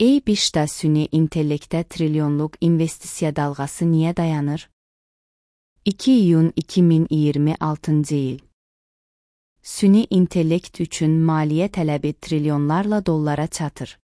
EY-BİŞ'də süni intellektə trilyonluq investisiya dalğası niyə dayanır? 2 iyun 2026 il. Süni intellekt üçün maliyyə tələbi trilyonlarla dollara çatır.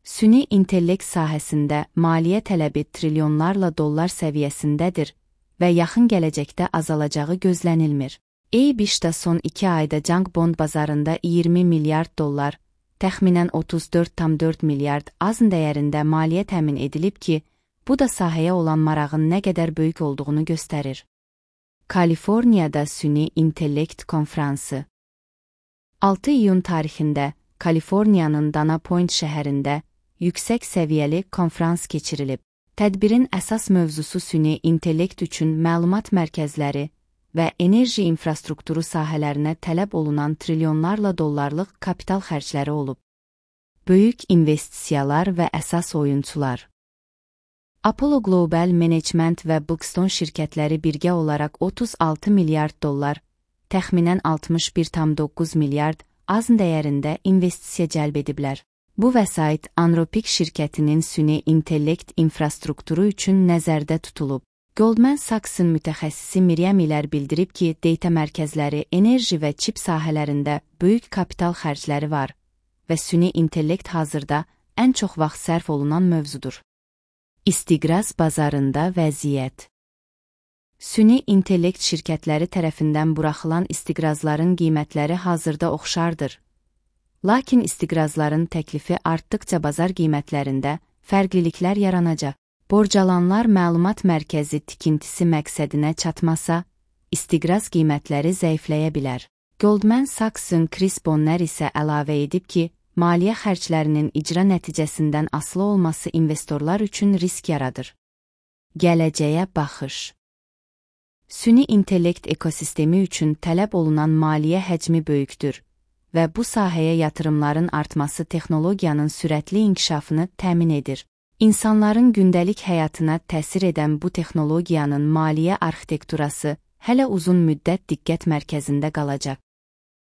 Süni intellekt sahəsində maliyyə tələbi trilyonlarla dollar səviyyəsindədir və yaxın gələcəkdə azalacağı gözlənilmir. EY-BİŞ'də son 2 ayda junk bond bazarında 20 milyard dollar, təxminən 34,4 milyard AZN dəyərində maliyyə təmin edilib ki, bu da sahəyə olan marağın nə qədər böyük olduğunu göstərir. Kaliforniyada süni intellekt konfransı 6 iyun tarixində Kaliforniyanın Dana Point şəhərində yüksək səviyyəli konfrans keçirilib. Tədbirin əsas mövzusu süni intellekt üçün məlumat mərkəzləri və enerji infrastrukturu sahələrinə tələb olunan trilyonlarla dollarlıq kapital xərcləri olub. Böyük investisiyalar və əsas oyunçular. Apollo Global Management və Blackstone şirkətləri birgə olaraq 36 milyard dollar, təxminən 61,9 milyard AZN dəyərində investisiya cəlb ediblər. Bu vəsait Anthropic şirkətinin süni intellekt infrastrukturu üçün nəzərdə tutulub. Goldman Sachs'ın mütəxəssisi Miriam İlər bildirib ki, data mərkəzləri, enerji və çip sahələrində böyük kapital xərcləri var və süni intellekt hazırda ən çox vaxt sərf olunan mövzudur. İstiqraz bazarında vəziyyət. Süni intellekt şirkətləri tərəfindən buraxılan istiqrazların qiymətləri hazırda oxşardır. Lakin istiqrazların təklifi artdıqca bazar qiymətlərində fərqliliklər yaranacaq. Borcalanlar məlumat mərkəzi tikintisi məqsədinə çatmasa, istiqraz qiymətləri zəifləyə bilər. Goldman Sachs'ın Chris Bonner isə əlavə edib ki, maliyyə xərclərinin icra nəticəsindən asılı olması investorlar üçün risk yaradır. Gələcəyə baxış. Süni intellekt ekosistemi üçün tələb olunan maliyyə həcmi böyükdür və bu sahəyə yatırımların artması texnologiyanın sürətli inkişafını təmin edir. İnsanların gündəlik həyatına təsir edən bu texnologiyanın maliyyə arxitekturası hələ uzun müddət diqqət mərkəzində qalacaq.